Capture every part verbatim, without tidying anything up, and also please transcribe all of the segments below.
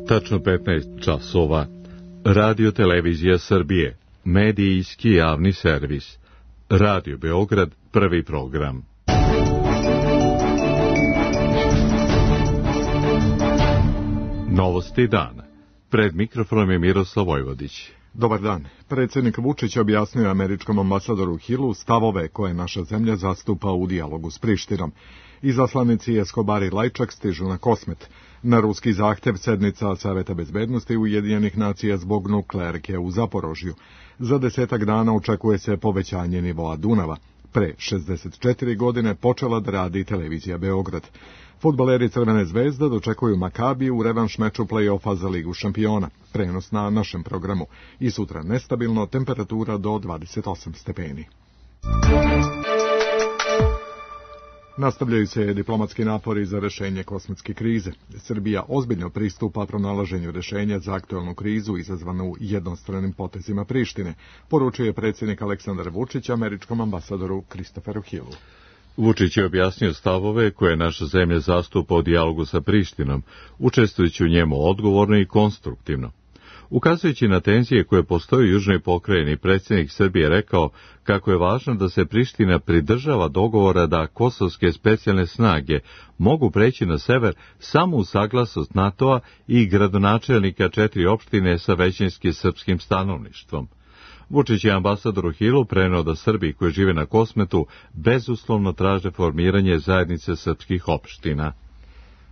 Tačno petnaest časova. Radio Televizija Srbije. Medijski javni servis. Radio Beograd, prvi program. Novosti dana. Pred mikrofonom je Miroslav Vojvodić. Dobar dan. Predsjednik Vučić objasnio američkom ambasadoru Hillu stavove koje naša zemlja zastupa u dijalogu s Prištinom. Izaslanici Escobar i Lajčak stižu na Kosmet. Na ruski zahtjev sednica Saveta bezbednosti Ujedinjenih nacija zbog nuklearke u Zaporožju. Za desetak dana očekuje se povećanje nivoa Dunava. Pre šezdeset četiri godine počela da radi televizija Beograd. Fudbaleri Crvene zvezde dočekuju Makabiju u revanš meču play-offa za Ligu šampiona. Prenos na našem programu. I sutra nestabilno, temperatura do dvadeset osam stepeni. Nastavljaju se diplomatski napori za rešenje kosmetske krize. Srbija ozbiljno pristupa pronalaženju rešenja za aktuelnu krizu izazvanu jednostranim potezima Prištine, poručuje predsjednik Aleksandar Vučić američkom ambasadoru Christopheru Hillu. Vučić je objasnio stavove koje naša zemlja zastupa u dijalogu sa Prištinom, učestvujući u njemu odgovorno i konstruktivno. Ukazujući na tenzije koje postoje u južnoj pokrajini, predsjednik Srbije rekao kako je važno da se Priština pridržava dogovora da kosovske specijalne snage mogu preći na sever samo uz saglasnost NATO-a i gradonačelnika četiri opštine sa većinskim srpskim stanovništvom. Vučić je ambasadoru Hillu preneo da Srbi koji žive na Kosmetu bezuslovno traže formiranje zajednice srpskih opština.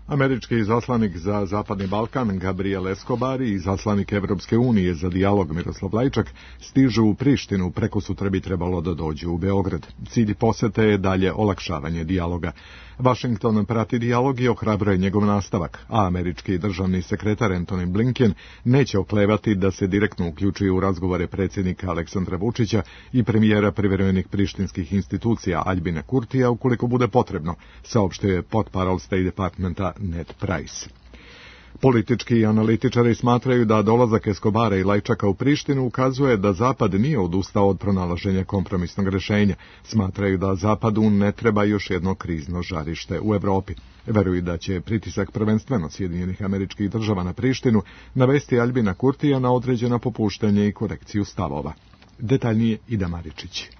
Američki izaslanik za Zapadni Balkan Gabriel Escobar i izaslanik Evropske unije za dijalog Miroslav Lajčak stižu u Prištinu, preko sutra bi trebalo da dođu u Beograd. Cilj posete je dalje olakšavanje dijaloga. Washington prati dijalog i ohrabruje njegov nastavak, a američki državni sekretar Antony Blinken neće oklevati da se direktno uključuje u razgovore predsjednika Aleksandra Vučića i premijera privremenih prištinskih institucija Aljbina Kurtija ukoliko bude potrebno, saopštio je portparol State Departmenta Ned Price. Politički analitičari smatraju da dolazak Escobara i Lajčaka u Prištinu ukazuje da Zapad nije odustao od pronalaženja kompromisnog rješenja. Smatraju da Zapadu ne treba još jedno krizno žarište u Evropi. Veruju da će pritisak prvenstveno Sjedinjenih Američkih Država na Prištinu navesti Aljbina Kurtija na određeno popuštanje i korekciju stavova. Detaljnije Ida Maričić.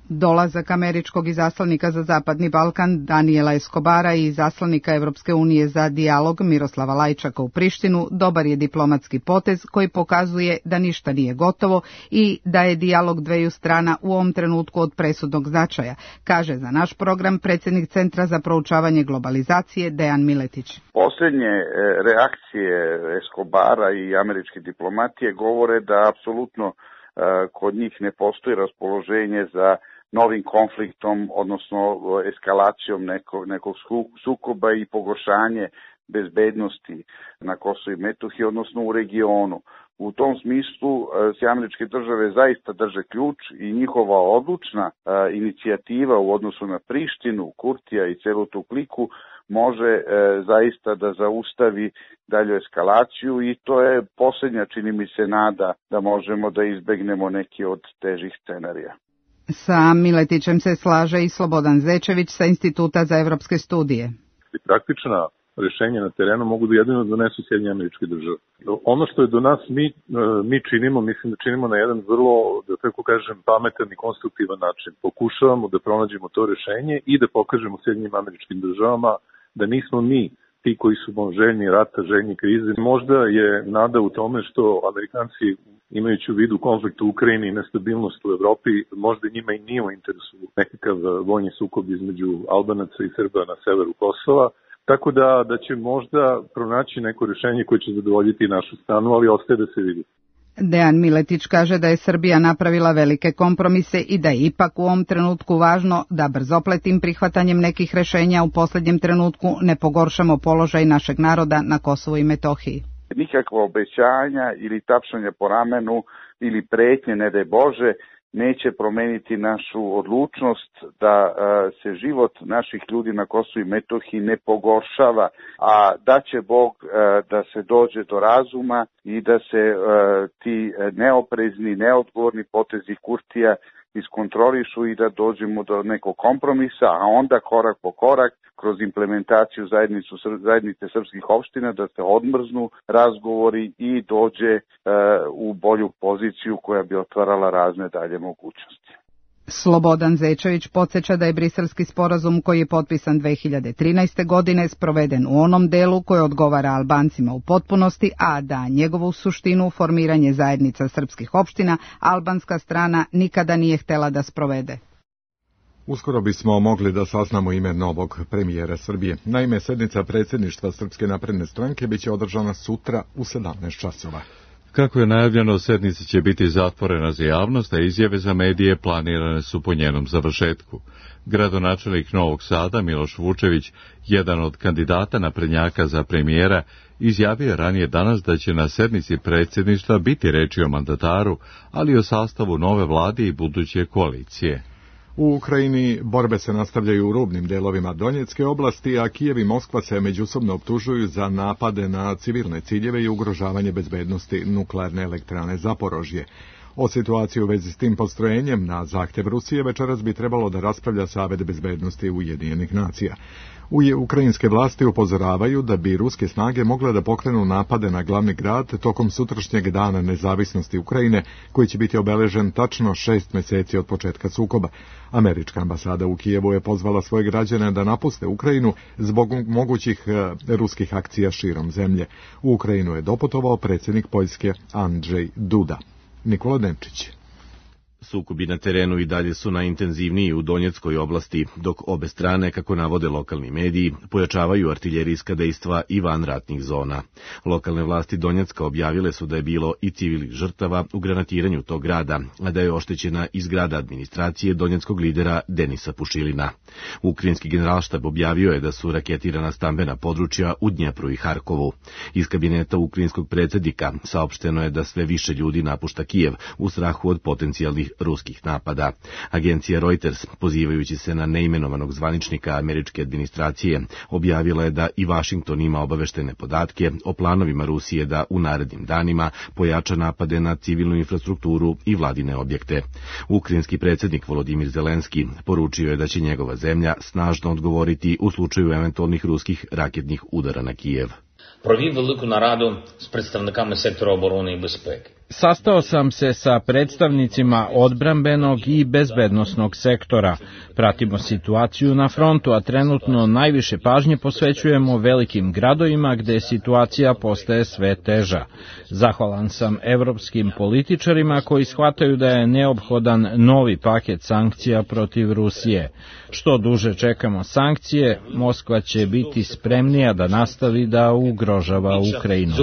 Dolazak američkog izaslanika za Zapadni Balkan Daniela Escobara i izaslanika Evropske unije za dijalog Miroslava Lajčaka u Prištinu dobar je diplomatski potez koji pokazuje da ništa nije gotovo i da je dijalog dveju strana u ovom trenutku od presudnog značaja, kaže za naš program predsjednik Centra za proučavanje globalizacije Dejan Miletić. Posljednje reakcije Escobara i američke diplomatije govore da apsolutno kod njih ne postoji raspoloženje za novim konfliktom, odnosno eskalacijom nekog, nekog sukoba i pogoršanje bezbednosti na Kosovu i Metohiji, odnosno u regionu. U tom smislu se američke države zaista drže ključ i njihova odlučna a, inicijativa u odnosu na Prištinu, Kurtija i celu tu kliku može e, zaista da zaustavi dalju eskalaciju i to je posljednja, čini mi se, nada da možemo da izbegnemo neki od težih scenarija. Sa Miletićem se slaže i Slobodan Zečević sa Instituta za evropske studije. Praktična rješenja na terenu mogu da jedino donesu Sjedinjene Američke Države. Ono što je do nas mi, mi činimo, mislim da činimo na jedan vrlo, da tako kažem, pametan i konstruktivan način. Pokušavamo da pronađemo to rješenje i da pokažemo Sjedinjenim Američkim Državama da nismo mi ti koji su željni rata, željni krize. Možda je nada u tome što Amerikanci, imajući u vidu konflikt u Ukrajini i nestabilnost u Evropi, možda njima i nije u interesu nekakav vojni sukob između Albanaca i Srba na severu Kosova. Tako da, da će možda pronaći neko rješenje koje će zadovoljiti našu stranu, ali ostaje da se vidi. Dejan Miletić kaže da je Srbija napravila velike kompromise i da je ipak u ovom trenutku važno da brzopletim prihvatanjem nekih rješenja u posljednjem trenutku ne pogoršamo položaj našeg naroda na Kosovu i Metohiji. Nikakva obećanja ili tapšanja po ramenu ili pretnje, ne daj Bože, neće promeniti našu odlučnost da a, se život naših ljudi na Kosovu i Metohiji ne pogoršava, a da će Bog a, da se dođe do razuma i da se a, ti neoprezni, neodgovorni potezi Kurtija iskontrolišu i da dođemo do nekog kompromisa, a onda korak po korak kroz implementaciju zajednicu, zajednice srpskih opština da se odmrznu razgovori i dođe e, u bolju poziciju koja bi otvarala razne dalje mogućnosti. Slobodan Zečević podsjeća da je briselski sporazum koji je potpisan dve hiljade trinaeste. godine sproveden u onom delu koji odgovara Albancima u potpunosti, a da njegovu suštinu, formiranje zajednica srpskih opština, albanska strana nikada nije htela da sprovede. Uskoro bismo mogli da saznamo ime novog premijera Srbije. Naime, sednica predsjedništva Srpske napredne stranke biće održana sutra u sedamnaest časova. Kako je najavljeno, sednica će biti zatvorena za javnost, a izjave za medije planirane su po njenom završetku. Gradonačelnik Novog Sada, Miloš Vučević, jedan od kandidata naprednjaka za premijera, izjavio je ranije danas da će na sednici predsjedništva biti reči o mandataru, ali i o sastavu nove vlade i buduće koalicije. U Ukrajini borbe se nastavljaju u rubnim delovima Donjecke oblasti, a Kijev i Moskva se međusobno optužuju za napade na civilne ciljeve i ugrožavanje bezbednosti nuklearne elektrane Zaporožje. O situaciji u vezi s tim postrojenjem na zahtjev Rusije večeras bi trebalo da raspravlja Savet bezbednosti Ujedinjenih nacija. Ukrajinske vlasti upozoravaju da bi ruske snage mogle da pokrenu napade na glavni grad tokom sutrašnjeg dana nezavisnosti Ukrajine, koji će biti obeležen tačno šest meseci od početka sukoba. Američka ambasada u Kijevu je pozvala svoje građane da napuste Ukrajinu zbog mogućih ruskih akcija širom zemlje. U Ukrajinu je doputovao predsjednik Poljske Andrzej Duda. Nikola Denčić. Sukobi na terenu i dalje su najintenzivniji u Donjeckoj oblasti, dok obe strane, kako navode lokalni mediji, pojačavaju artiljerijska dejstva i van ratnih zona. Lokalne vlasti Donjecka objavile su da je bilo i civilnih žrtava u granatiranju tog grada, a da je oštećena i zgrada administracije donjeckog lidera Denisa Pušilina. Ukrajinski generalštab objavio je da su raketirana stambena područja u Dnjepru i Harkovu. Iz kabineta ukrajinskog predsjednika saopšteno je da sve više ljudi napušta Kijev u strahu od potencijalnih ruskih napada. Agencija Reuters, pozivajući se na neimenovanog zvaničnika američke administracije, objavila je da i Vašington ima obaveštene podatke o planovima Rusije da u narednim danima pojača napade na civilnu infrastrukturu i vladine objekte. Ukrajinski predsjednik Volodimir Zelenski poručio je da će njegova zemlja snažno odgovoriti u slučaju eventualnih ruskih raketnih udara na Kijev. Провів велику нараду з представниками сектору оборони і безпеки. Sastao sam se sa predstavnicima odbrambenog i bezbednosnog sektora. Pratimo situaciju na frontu, a trenutno najviše pažnje posvećujemo velikim gradovima gde situacija postaje sve teža. Zahvalan sam evropskim političarima koji shvataju da je neophodan novi paket sankcija protiv Rusije. Što duže čekamo sankcije, Moskva će biti spremnija da nastavi da ugrožava Ukrajinu.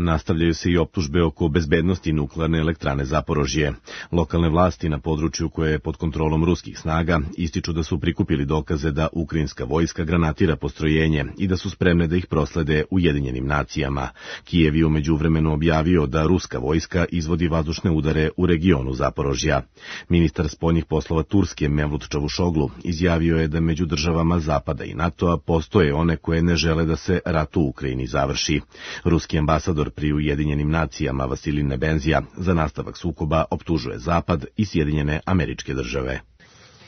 Nastavljaju se i optužbe oko bezbednosti nuklearne elektrane Zaporožje. Lokalne vlasti na području koje je pod kontrolom ruskih snaga ističu da su prikupili dokaze da ukrajinska vojska granatira postrojenje i da su spremne da ih proslede Ujedinjenim nacijama. Kijev je umeđu vremenu objavio da ruska vojska izvodi vazdušne udare u regionu Zaporožja. Ministar spoljnih poslova Turske Mevlut Čavušoglu izjavio je da među državama Zapada i NATO-a postoje one koje ne žele da se rat u Ukrajini završi. Ruski ambasador pri Ujedinjenim nacijama Vasilij Nebenzija za nastavak sukoba optužuje Zapad i Sjedinjene Američke Države.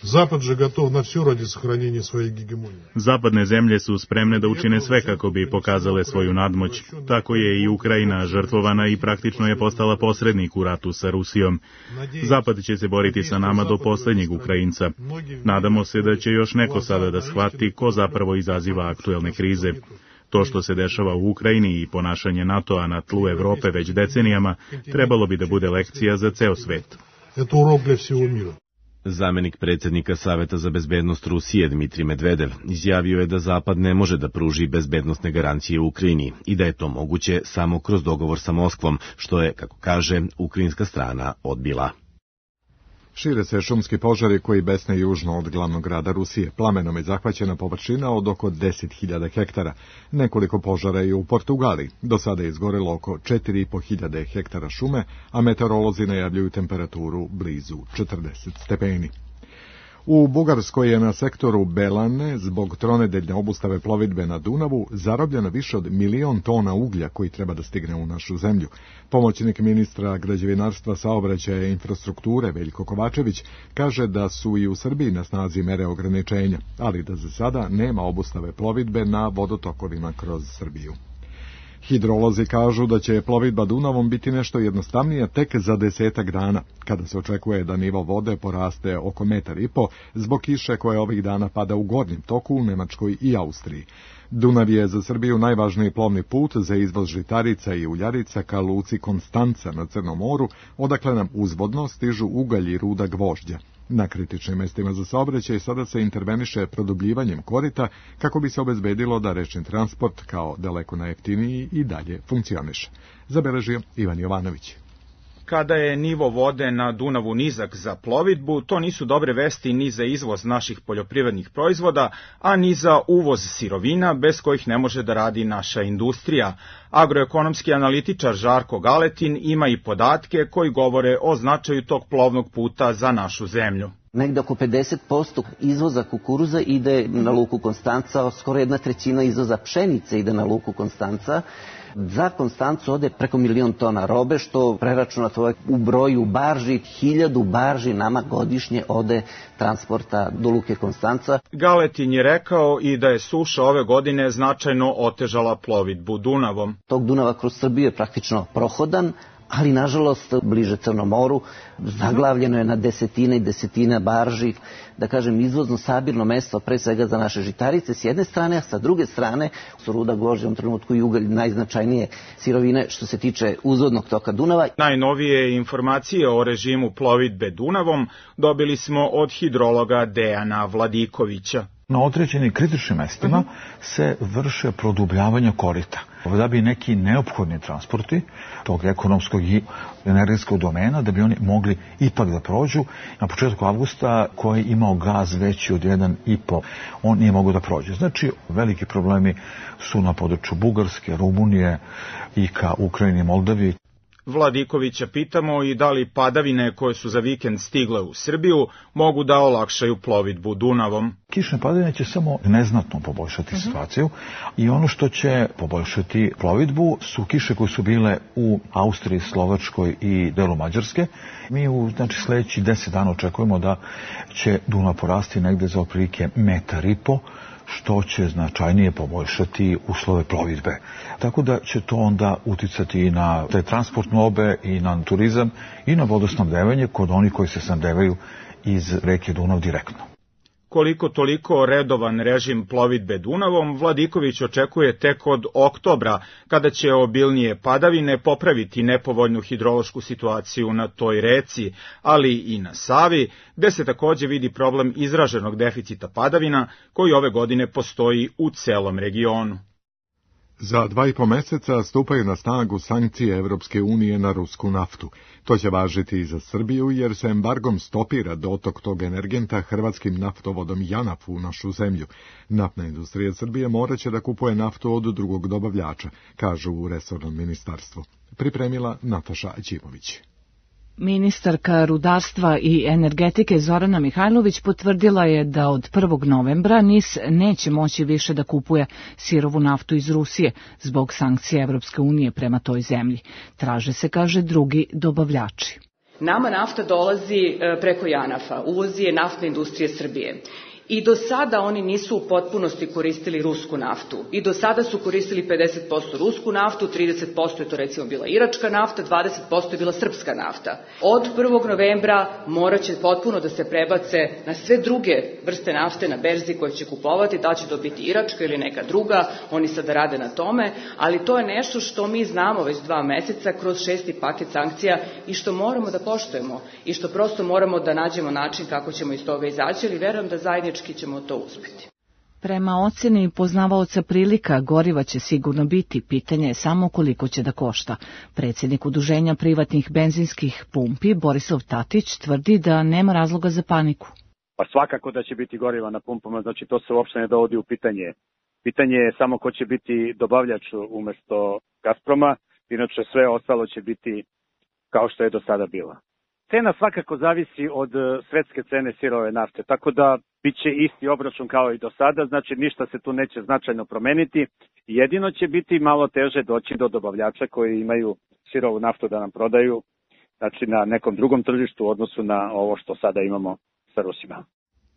Zapad je gotov na все ради сохранения своей гегемонии. Zapadne zemlje su spremne da učine sve kako bi pokazale svoju nadmoć. Tako je i Ukrajina žrtvovana i praktično je postala posrednik u ratu sa Rusijom. Zapad će se boriti sa nama do posljednjeg Ukrajinca. Nadamo se da će još neko sada da shvati ko zapravo izaziva aktuelne krize. To što se dešava u Ukrajini i ponašanje NATO-a na tlu Evrope već decenijama trebalo bi da bude lekcija za ceo svet. Zamenik predsjednika Saveta za bezbednost Rusije Dmitrij Medvedev izjavio je da Zapad ne može da pruži bezbednosne garancije u Ukrajini i da je to moguće samo kroz dogovor sa Moskvom, što je, kako kaže, ukrajinska strana odbila. Šire se šumski požari koji besne južno od glavnog grada Rusije. Plamenom je zahvaćena površina od oko deset hiljada hektara. Nekoliko požara je u Portugaliji. Do sada je izgorelo oko četiri i po hiljade hektara šume, a meteorolozi najavljuju temperaturu blizu četrdeset stepeni. U Bugarskoj je na sektoru Belane zbog tronedeljne obustave plovidbe na Dunavu zarobljeno više od milion tona uglja koji treba da stigne u našu zemlju. Pomoćnik ministra građevinarstva, saobraćaja i infrastrukture Veljko Kovačević kaže da su i u Srbiji na snazi mere ograničenja, ali da za sada nema obustave plovidbe na vodotokovima kroz Srbiju. Hidrolozi kažu da će plovidba Dunavom biti nešto jednostavnija tek za desetak dana, kada se očekuje da nivo vode poraste oko metar i po zbog kiše koje ovih dana pada u gornjem toku u Nemačkoj i Austriji. Dunav je za Srbiju najvažniji plovni put za izvoz žitarica i uljarica ka luci Konstanca na Crnom moru, odakle nam uzvodno stižu ugalj i ruda gvožđa. Na kritičnim mestima za saobraćaj sada se interveniše produbljivanjem korita kako bi se obezbedilo da rečni transport kao daleko najjeftiniji i dalje funkcioniše. Zabeležio Ivan Jovanović. Kada je nivo vode na Dunavu nizak za plovidbu, to nisu dobre vesti ni za izvoz naših poljoprivrednih proizvoda, a ni za uvoz sirovina bez kojih ne može da radi naša industrija. Agroekonomski analitičar Žarko Galetin ima i podatke koji govore o značaju tog plovnog puta za našu zemlju. Negde oko pedeset posto izvoza kukuruza ide na luku Konstanca, skoro jedna trećina izvoza pšenice ide na luku Konstanca. Za Konstancu ode preko milion tona robe, što preračunato u broju barži, hiljadu barži nama godišnje ode transporta do luke Konstanca. Galetin je rekao i da je suša ove godine značajno otežala plovidbu Dunavom. Tog Dunava kroz Srbiju je praktično prohodan, ali nažalost bliže Crnom moru zaglavljeno je na desetine i desetine barži, da kažem izvozno sabirno mesto pre svega za naše žitarice s jedne strane, a sa druge strane su ruda gvožđa u trenutku i ugalj najznačajnije sirovine što se tiče uzvodnog toka Dunava. Najnovije informacije o režimu plovidbe Dunavom dobili smo od hidrologa Dejana Vladikovića. Na određenim kritičnim mestima se vrše produbljavanja korita, da bi neki neophodni transporti tog ekonomskog i energetskog domena, da bi oni mogli ipak da prođu. Na početku avgusta koji je imao gaz veći od jedan i po, on nije mogao da prođe. Znači, veliki problemi su na području Bugarske, Rumunije i ka Ukrajini i Moldaviji. Vladikovića pitamo i da li padavine koje su za vikend stigle u Srbiju mogu da olakšaju plovidbu Dunavom. Kišne padavine će samo neznatno poboljšati uh-huh. situaciju i ono što će poboljšati plovidbu su kiše koje su bile u Austriji, Slovačkoj i delu Mađarske. Mi u znači, sledeći deset dana očekujemo da će Dunav porasti negde za otprilike metar i po, što će značajnije poboljšati uslove plovidbe. Tako da će to onda uticati i na te transportne obe i na turizam i na vodosnabdevanje kod onih koji se snabdevaju iz reke Dunav direktno. Koliko toliko redovan režim plovidbe Dunavom Vladiković očekuje tek od oktobra, kada će obilnije padavine popraviti nepovoljnu hidrološku situaciju na toj reci, ali i na Savi, gde se takođe vidi problem izraženog deficita padavina koji ove godine postoji u celom regionu. Za dva i po meseca stupaju na snagu sankcije Evropske unije na rusku naftu. To će važiti i za Srbiju jer se embargom stopira dotok tog energenta hrvatskim naftovodom JANAF u našu zemlju. Naftna industrija Srbije moraće da kupuje naftu od drugog dobavljača, kažu u resornom ministarstvu. Pripremila Nataša Ćimović. Ministarka rudarstva i energetike Zorana Mihajlović potvrdila je da od prvog novembra N I S neće moći više da kupuje sirovu naftu iz Rusije zbog sankcija Evropske unije prema toj zemlji. Traže se, kaže, drugi dobavljači. Nama nafta dolazi preko JANAF-a, uvozi je naftna industrija Srbije. I do sada oni nisu u potpunosti koristili rusku naftu. I do sada su koristili pedeset posto rusku naftu, trideset posto je to recimo bila iračka nafta, dvadeset posto je bila srpska nafta. Od prvog novembra morat će potpuno da se prebace na sve druge vrste nafte na berzi koje će kupovati, da će to biti iračka ili neka druga, oni sada rade na tome, ali to je nešto što mi znamo već dva meseca kroz šesti paket sankcija i što moramo da poštujemo i što prosto moramo da nađemo način kako ćemo iz toga izaći, ali verujem da zajednički ćemo to uspeti. Prema oceni poznavaoca prilika, goriva će sigurno biti, pitanje je samo koliko će da košta. Predsjednik Udruženja privatnih benzinskih pumpi, Borislav Tatić, tvrdi da nema razloga za paniku. Pa svakako da će biti goriva na pumpama, znači to se uopšte ne dovodi u pitanje. Pitanje je samo ko će biti dobavljač umesto Gazproma, inače sve ostalo će biti kao što je do sada bilo. Cena svakako zavisi od svetske cene sirove nafte, tako da bit će isti obračun kao i do sada, znači ništa se tu neće značajno promeniti. Jedino će biti malo teže doći do dobavljača koji imaju sirovu naftu da nam prodaju, znači na nekom drugom tržištu u odnosu na ovo što sada imamo sa Rusima.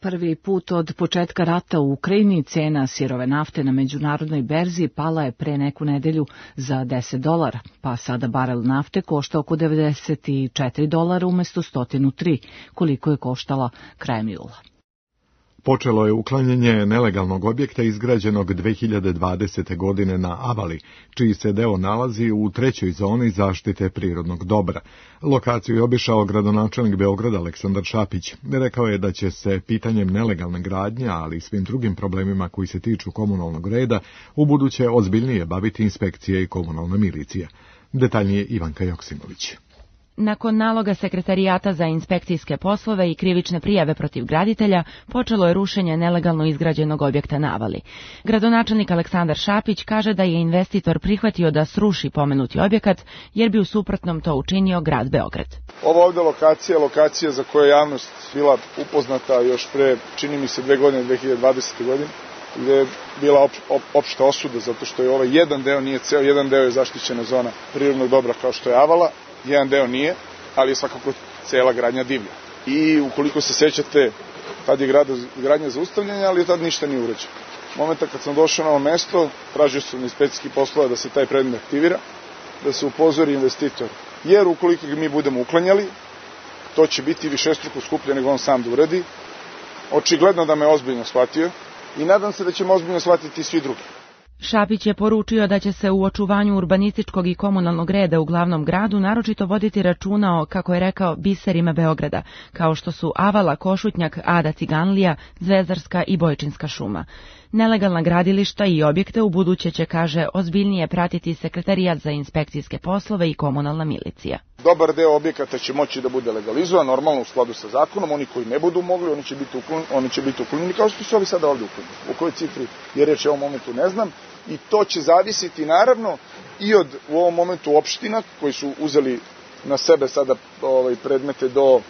Prvi put od početka rata u Ukrajini cena sirove nafte na međunarodnoj berzi pala je pre neku nedelju za deset dolara, pa sada barel nafte košta oko devedeset četiri dolara umesto sto tri, koliko je koštala krajem jula. Počelo je uklanjanje nelegalnog objekta izgrađenog dve hiljade dvadesete. godine na Avali, čiji se deo nalazi u trećoj zoni zaštite prirodnog dobra. Lokaciju je obišao gradonačelnik Beograda Aleksandar Šapić. Rekao je da će se pitanjem nelegalne gradnje, ali i svim drugim problemima koji se tiču komunalnog reda, ubuduće ozbiljnije baviti inspekcije i komunalna milicija. Detaljnije Ivanka Joksimović. Nakon naloga Sekretarijata za inspekcijske poslove i krivične prijave protiv graditelja, počelo je rušenje nelegalno izgrađenog objekta na Avali. Gradonačelnik Aleksandar Šapić kaže da je investitor prihvatio da sruši pomenuti objekat, jer bi u suprotnom to učinio grad Beograd. Ova ovde lokacija je lokacija za koju je javnost bila upoznata još pre, čini mi se, dve godine, dve hiljade dvadesete. godine, gde je bila op, op, opšta osuda, zato što je ovaj jedan deo nije ceo, jedan deo je zaštićena zona prirodnog dobra kao što je Avala, jedan deo nije, ali je svakako cela gradnja divlja. I ukoliko se sećate, tad je gradnja zaustavljena, ali tad ništa nije urađeno. Momenta kad sam došao na ovo mesto, tražio sam na inspekcijski poslova da se taj predmet aktivira, da se upozori investitor. Jer ukoliko ga mi budemo uklanjali, to će biti višestruko skuplje nego on sam da uradi. Očigledno da me ozbiljno shvatio i nadam se da ćemo ozbiljno shvatiti svi drugi. Šapić je poručio da će se u očuvanju urbanističkog i komunalnog reda u glavnom gradu naročito voditi računa o, kako je rekao, biserima Beograda, kao što su Avala, Košutnjak, Ada Ciganlija, Zvezdarska i Bojčinska šuma. Nelegalna gradilišta i objekte u buduće će, kaže, ozbiljnije pratiti Sekretarijat za inspekcijske poslove i komunalna milicija. Dobar deo objekata će moći da bude legalizovan, normalno u skladu sa zakonom, oni koji ne budu mogli, oni će biti uklonjeni, oni će biti uklonjeni kao što su ovi sada ovdje uklonjeni. U kojoj cifri je reč u ovom momentu ne znam, i to će zavisiti naravno i od u ovom momentu opština koji su uzeli na sebe sada ovaj, predmete do,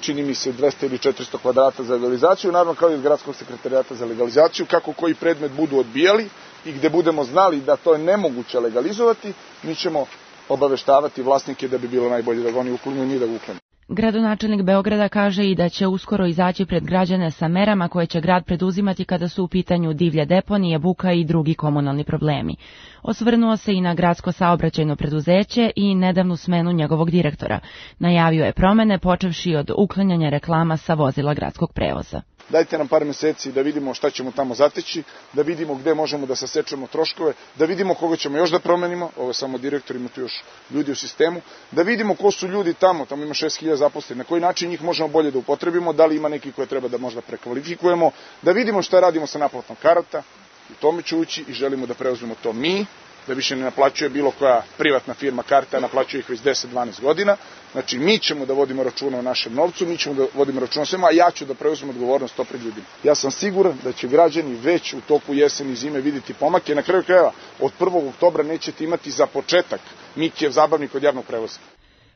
čini mi se, dvesta ili četiristo kvadrata za legalizaciju, naravno kao i od gradskog sekretarijata za legalizaciju, kako koji predmet budu odbijali i gde budemo znali da to je nemoguće legalizovati, mi ćemo obaveštavati vlasnike da bi bilo najbolje da ga oni uklonju, ni da ga uklonju. Gradonačelnik Beograda kaže i da će uskoro izaći pred građane sa merama koje će grad preduzimati kada su u pitanju divlje deponije, buka i drugi komunalni problemi. Osvrnuo se i na gradsko saobraćajno preduzeće i nedavnu smenu njegovog direktora. Najavio je promene počevši od uklanjanja reklama sa vozila gradskog prevoza. Dajte nam par meseci da vidimo šta ćemo tamo zateći, da vidimo gde možemo da sasečemo troškove, da vidimo koga ćemo još da promenimo, ovo je samo direktor, ima tu još ljudi u sistemu, da vidimo ko su ljudi tamo, tamo ima šest hiljada zaposlenih, na koji način njih možemo bolje da upotrebimo, da li ima neki koje treba da možda prekvalifikujemo, da vidimo šta radimo sa naplatom karata, u tome ću ući i želimo da preuzmemo to mi, da više ne naplaćuje bilo koja privatna firma karte, a naplaćuje ih već deset do dvanaest godina. Znači, mi ćemo da vodimo računa o našem novcu, mi ćemo da vodimo računa o svema, a ja ću da preuzmem odgovornost to pred ljudima. Ja sam siguran da će građani već u toku jeseni i zime vidjeti pomake. Na kraju krajeva, od prvog oktobra nećete imati za početak Mikijev zabavnik od javnog prevoza.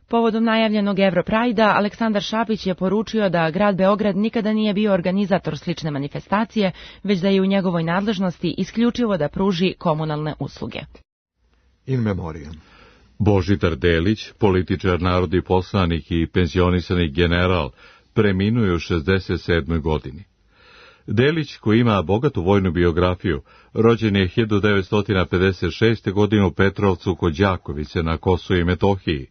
Povodom najavljenog Europrajda, Aleksandar Šapić je poručio da grad Beograd nikada nije bio organizator slične manifestacije, već da je u njegovoj nadležnosti isključivo da pruži komunalne usluge. In memoriam. Božidar Delić, političar, narodni poslanik i penzionisani general, preminuo je u šezdeset sedmoj godini. Delić, koji ima bogatu vojnu biografiju, rođen je hiljadu devetsto pedeset šeste. godine u Petrovcu kod Đakovice na Kosovu i Metohiji.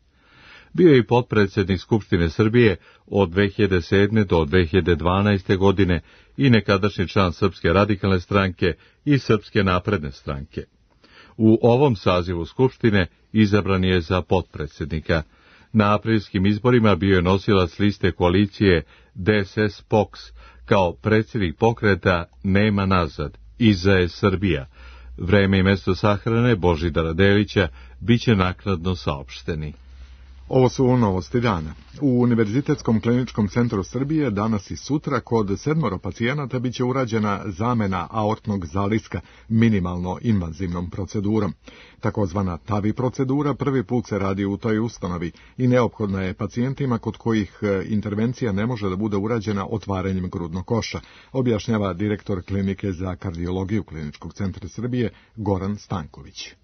Bio je i potpredsjednik Skupštine Srbije od dve hiljade sedme. do dve hiljade dvanaeste. godine i nekadašnji član Srpske radikalne stranke i Srpske napredne stranke. U ovom sazivu Skupštine izabran je za potpredsjednika. Na aprilskim izborima bio je nosilac liste koalicije D S S P O K S kao predsjednik pokreta Nema nazad, iza je Srbija. Vreme i mesto sahrane Božidara Delića biće naknadno saopšteni. Ovo su novosti dana. U Univerzitetskom kliničkom centru Srbije danas i sutra kod sedmoro pacijenata biće urađena zamena aortnog zaliska minimalno invazivnom procedurom. Takozvana TAVI procedura prvi put se radi u toj ustanovi i neophodna je pacijentima kod kojih intervencija ne može da bude urađena otvaranjem grudnog koša, objašnjava direktor klinike za kardiologiju Kliničkog centra Srbije Goran Stanković.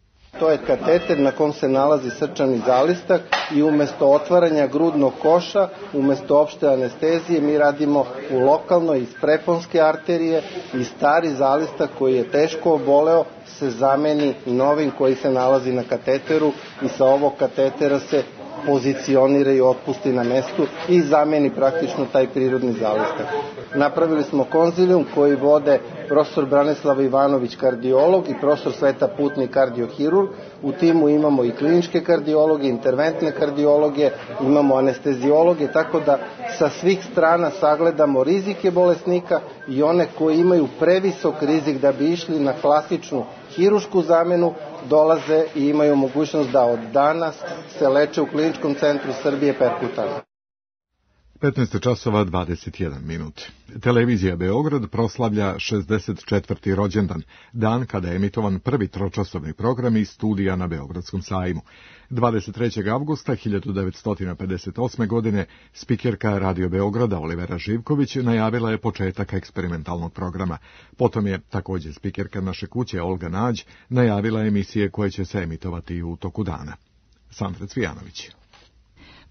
To je kateter na kom se nalazi srčani zalistak i umjesto otvaranja grudnog koša, umjesto opšte anestezije, mi radimo u lokalnoj iz preponske arterije i stari zalistak koji je teško oboleo se zameni novim koji se nalazi na kateteru i sa ovog katetera se pozicionira i otpusti na mestu i zameni praktično taj prirodni zalistak. Napravili smo konzilijum koji vode profesor Branislav Ivanović, kardiolog, i profesor Sveta Putnik, kardiohirurg. U timu imamo i kliničke kardiologe, interventne kardiologe, imamo anesteziologe, tako da sa svih strana sagledamo rizike bolesnika i one koji imaju previsok rizik da bi išli na klasičnu hirušku zamenu, dolaze i imaju mogućnost da od danas se leče u Kliničkom centru Srbije perkutalno. petnaest časova dvadeset jedan minut. Televizija Beograd proslavlja šezdeset četvrti rođendan, dan kada je emitovan prvi tročasovni program iz studija na Beogradskom sajmu. dvadeset trećeg avgusta hiljadu devetsto pedeset osme. godine spikerka Radio Beograda Olivera Živković najavila je početak eksperimentalnog programa. Potom je također spikerka naše kuće Olga Nađ najavila emisije koje će se emitovati u toku dana. Sandra Cvijanović.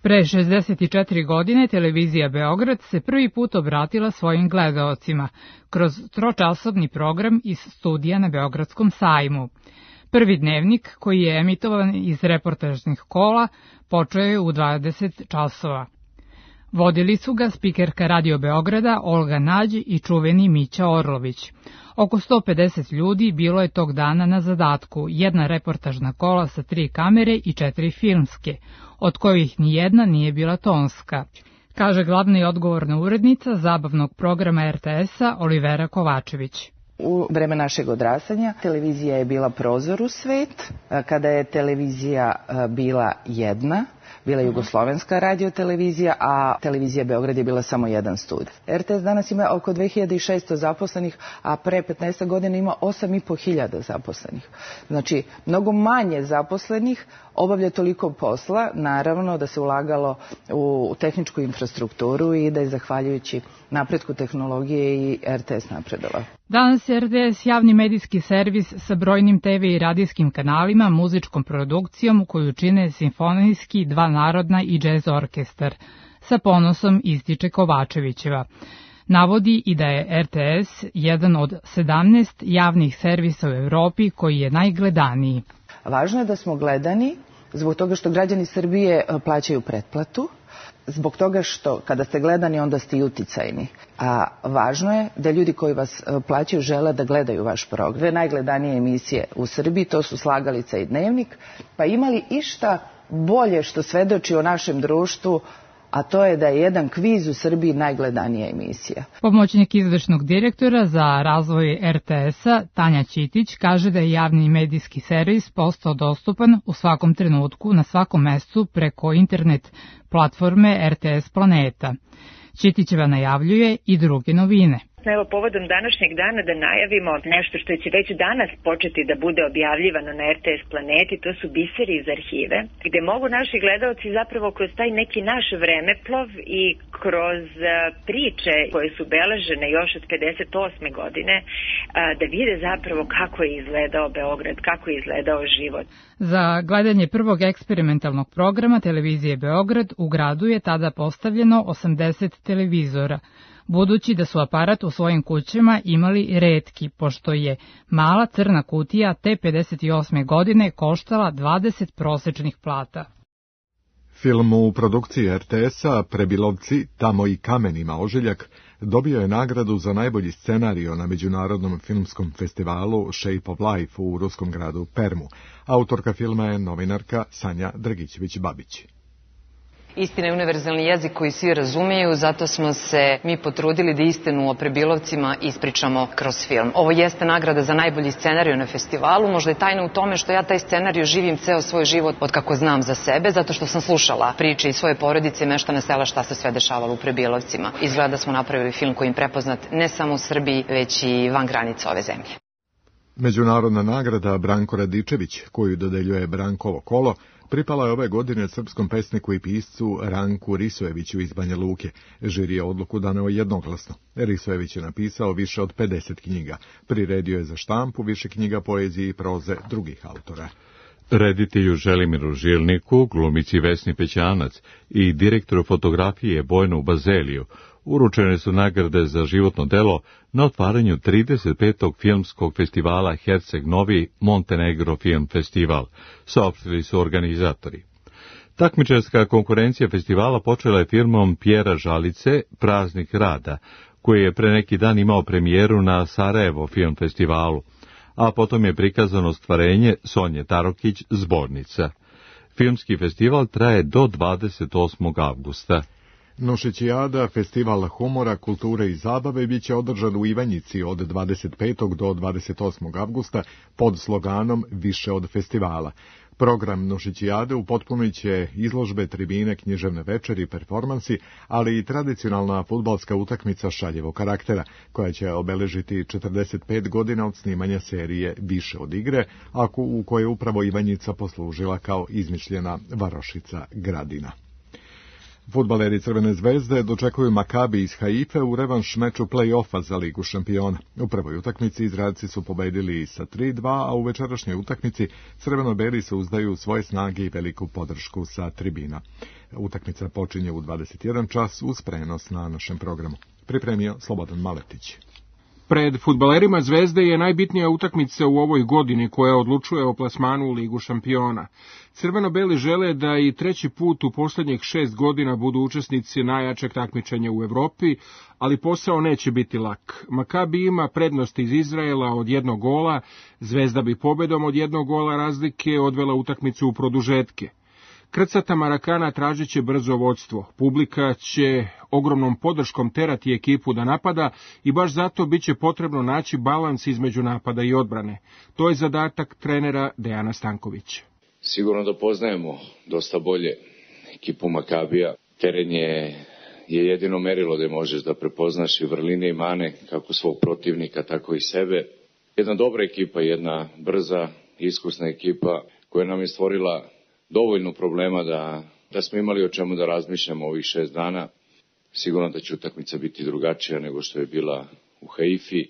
Pre šezdeset četiri godine televizija Beograd se prvi put obratila svojim gledaocima kroz tročasovni program iz studija na Beogradskom sajmu. Prvi dnevnik, koji je emitovan iz reportažnih kola, počeo je u dvadeset časova. Vodili su ga spikerka Radio Beograda Olga Nađ i čuveni Mića Orlović. Oko sto pedeset ljudi bilo je tog dana na zadatku, jedna reportažna kola sa tri kamere i četiri filmske, od kojih nijedna nije bila tonska, kaže glavna i odgovorna urednica zabavnog programa er te es-a Olivera Kovačević. U vreme našeg odrastanja televizija je bila prozor u svet, kada je televizija bila jedna, bila jugoslovenska radiotelevizija, a televizija Beograd je bila samo jedan studij. er te es danas ima oko dve hiljade šesto zaposlenih, a pre petnaest godina ima osam i po hiljada zaposlenih. Znači, mnogo manje zaposlenih obavlja toliko posla, naravno da se ulagalo u tehničku infrastrukturu i da je zahvaljujući napretku tehnologije i er te es napredovao. Danas je er te es javni medijski servis sa brojnim te ve i radijskim kanalima, muzičkom produkcijom koju čine simfonijski, dva narodna i džez orkestar. Sa ponosom ističe Kovačevićeva. Navodi i da je er te es jedan od sedamnaest javnih servisa u Evropi koji je najgledaniji. Važno je da smo gledani zbog toga što građani Srbije plaćaju pretplatu, zbog toga što kada ste gledani onda ste i uticajni. A važno je da ljudi koji vas plaćaju žele da gledaju vaš program. Dve najgledanije emisije u Srbiji, to su Slagalica i Dnevnik, pa imali išta bolje što svedoči o našem društvu, a to je da je jedan kviz u Srbiji najgledanija emisija. Pomoćnik izvršnog direktora za razvoj er te es-a Tanja Ćitić kaže da je javni medijski servis postao dostupan u svakom trenutku na svakom mestu preko internet platforme er te es Planeta. Ćitićeva najavljuje i druge novine. Evo, povodom današnjeg dana da najavimo nešto što će već danas početi da bude objavljivano na er te es Planeti, to su biseri iz arhive, gde mogu naši gledaoci zapravo kroz taj neki naš vremeplov i kroz priče koje su beležene još od pedeset osme godine da vide zapravo kako je izgledao Beograd, kako je izgledao život. Za gledanje prvog eksperimentalnog programa televizije Beograd u gradu je tada postavljeno osamdeset televizora, budući da su aparat u svojim kućama imali retki, pošto je mala crna kutija te pedeset osme godine koštala dvadeset prosečnih plata. Film u produkciji er te es-a Prebilovci, tamo i kamen ima ožiljak dobio je nagradu za najbolji scenario na Međunarodnom filmskom festivalu Shape of Life u ruskom gradu Permu. Autorka filma je novinarka Sanja Drgićević-Babić. Istina je univerzalni jezik koji svi razumeju, zato smo se mi potrudili da istinu o Prebilovcima ispričamo kroz film. Ovo jeste nagrada za najbolji scenariju na festivalu, možda je tajna u tome što ja taj scenariju živim ceo svoj život od kako znam za sebe, zato što sam slušala priče iz svoje porodice i meštana sela šta se sve dešavalo u Prebilovcima. Izgleda da smo napravili film koji je prepoznat ne samo u Srbiji, već i van granica ove zemlje. Međunarodna nagrada Branko Radičević, koju dodeljuje Brankovo kolo, pripala je ove godine srpskom pesniku i piscu Ranku Risojeviću iz Banja Luke. Žiri je odluku daneo jednoglasno. Risojević je napisao više od pedeset knjiga. Priredio je za štampu više knjiga poezije i proze drugih autora. Reditelju Želimiru Žilniku, glumici Vesni Pećanac i direktoru fotografije Bojanu Bazeliju uručene su nagrade za životno delo na otvaranju trideset petog filmskog festivala Herceg Novi Montenegro Film Festival, saopštili su organizatori. Takmičarska konkurencija festivala počela je filmom Pjera Žalice Praznik rada, koji je pre neki dan imao premijeru na Sarajevo Film Festivalu, a potom je prikazano stvarenje Sonje Tarokić Zbornica. Filmski festival traje do dvadeset osmog avgusta. Nušićijada, festival humora, kulture i zabave, bit će održan u Ivanjici od dvadeset petog do dvadeset osmog avgusta pod sloganom Više od festivala. Program Nušićijade upotpunit će izložbe, tribine, književne večeri, performansi, ali i tradicionalna fudbalska utakmica šaljevog karaktera, koja će obeležiti četrdeset pet godina od snimanja serije Više od igre, a u kojoj upravo Ivanjica poslužila kao izmišljena varošica Gradina. Fudbaleri Crvene zvezde dočekuju Makabi iz Haife u revanš meču play-offa za Ligu šampiona. U prvoj utakmici Izraelci su pobedili sa tri dva, a u večerašnjoj utakmici crveno-beli se uzdaju svoje snage i veliku podršku sa tribina. Utakmica počinje u dvadeset jedan čas uz prenos na našem programu. Pripremio Slobodan Maletić. Pred fudbalerima Zvezde je najbitnija utakmica u ovoj godini koja odlučuje o plasmanu u Ligu šampiona. Crveno-beli žele da i treći put u posljednjih šest godina budu učesnici najjačeg takmičenja u Evropi, ali posao neće biti lak. Makabi ima prednost iz Izraela od jednog gola, Zvezda bi pobedom od jednog gola razlike odvela utakmicu u produžetke. Krcata Marakana tražit će brzo vodstvo. Publika će ogromnom podrškom terati ekipu da napada i baš zato bit će potrebno naći balans između napada i odbrane. To je zadatak trenera Dejana Stankovića. Sigurno da poznajemo dosta bolje ekipu Makabija. Teren je, je jedino merilo gde možeš da prepoznaš i vrline i mane kako svog protivnika, tako i sebe. Jedna dobra ekipa, jedna brza, iskusna ekipa koja nam je stvorila dovoljno problema da, da smo imali o čemu da razmišljamo ovih šest dana. Sigurno da će utakmica biti drugačija nego što je bila u Haifi.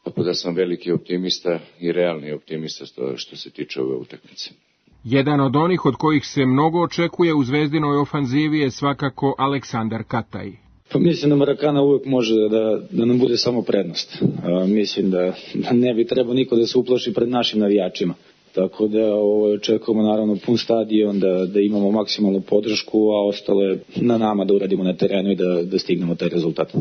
Tako da sam veliki optimista i realni optimista što, što se tiče ove utakmice. Jedan od onih od kojih se mnogo očekuje u Zvezdinoj ofanzivi je svakako Aleksandar Kataj. Pa mislim da Marakana uvijek može da, da nam bude samo prednost. A, mislim da, da ne bi trebao niko da se uplaši pred našim navijačima. Tako da ovo, očekujemo naravno pun stadion, da, da imamo maksimalnu podršku, a ostalo je na nama da uradimo na terenu i da, da stignemo taj rezultat.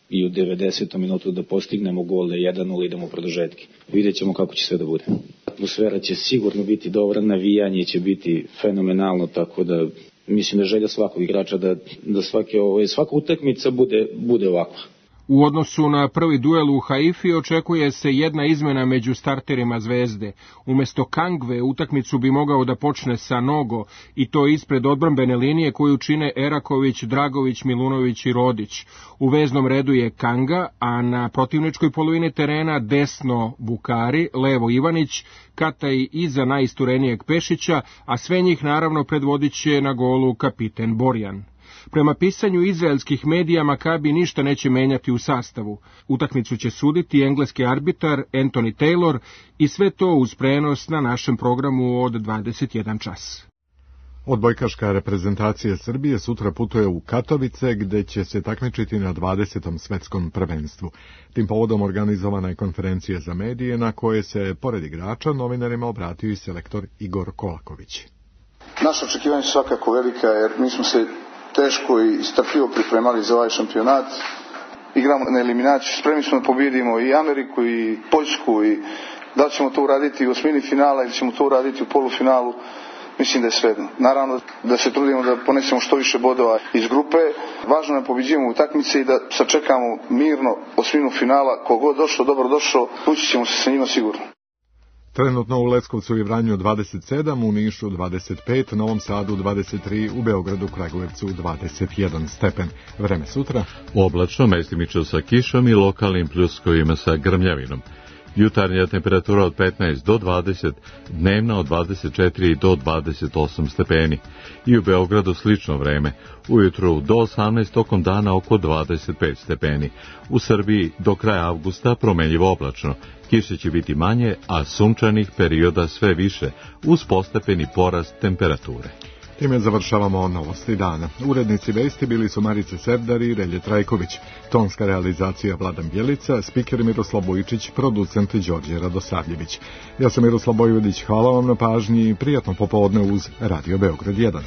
I u devedesetom minutu da postignemo gol, da jedan nula idemo u produžetke. Vidjet ćemo kako će sve da bude. Atmosfera će sigurno biti dobra, navijanje će biti fenomenalno, tako da mislim da želja svakog igrača da, da svake, ovo, svaka utakmica bude, bude ovakva. U odnosu na prvi duel u Haifi očekuje se jedna izmena među starterima Zvezde. Umesto Kangve utakmicu bi mogao da počne sa Nogo i to ispred odbrambene linije koju čine Eraković, Dragović, Milunović i Rodić. U veznom redu je Kanga, a na protivničkoj polovini terena desno Bukari, levo Ivanić, Kataj iza najisturenijeg Pešića, a sve njih naravno predvodit će na golu kapiten Borjan. Prema pisanju izraelskih medija, Makabi ništa neće menjati u sastavu. Utakmicu će suditi engleski arbitar Anthony Taylor i sve to uz prenos na našem programu od dvadeset jedan čas. Odbojkaška reprezentacija Srbije sutra putuje u Katovice, gde će se takmičiti na dvadesetom svetskom prvenstvu. Tim povodom organizovana je konferencija za medije na koje se, pored igrača, novinarima obratio i selektor Igor Kolaković. Naše očekivanje su svakako velika, jer mi smo se teško i strpljivo pripremali za ovaj šampionat. Igramo na eliminaciju, spremni smo da pobjedimo i Ameriku i Poljsku i da li ćemo to uraditi u osmini finala ili ćemo to uraditi u polufinalu, mislim da je svejedno. Naravno da se trudimo da ponesemo što više bodova iz grupe. Važno je pobeđujemo utakmice i da sačekamo mirno osminu finala. Kogod došao, dobro došao, ući ćemo se sa njima sigurno. Trenutno u Leskovcu i Vranju dvadeset sedam, u Nišu dvadeset pet, Novom Sadu dvadeset tri, u Beogradu, Kragujevcu dvadeset jedan stepen. Vreme sutra? Oblačno, mestimično sa kišom i lokalnim pljuskovima sa grmljavinom. Jutarnja temperatura od petnaest do dvadeset, dnevna od dvadeset četiri do dvadeset osam stepeni. I u Beogradu slično vreme. Ujutru do osamnaest, tokom dana oko dvadeset pet stepeni. U Srbiji do kraja avgusta promenljivo oblačno. Kiše će biti manje, a sunčanih perioda sve više, uz postepeni porast temperature. Time završavamo novosti dana. Urednici vesti bili su Marica Sevdar i Relje Trajković. Tonska realizacija Vladan Bjelica, spiker Miroslav Bojičić, producent Đorđe Radosavljević. Ja sam Miroslav Bojvodić, hvala vam na pažnji i prijatno popodne uz Radio Beograd jedan.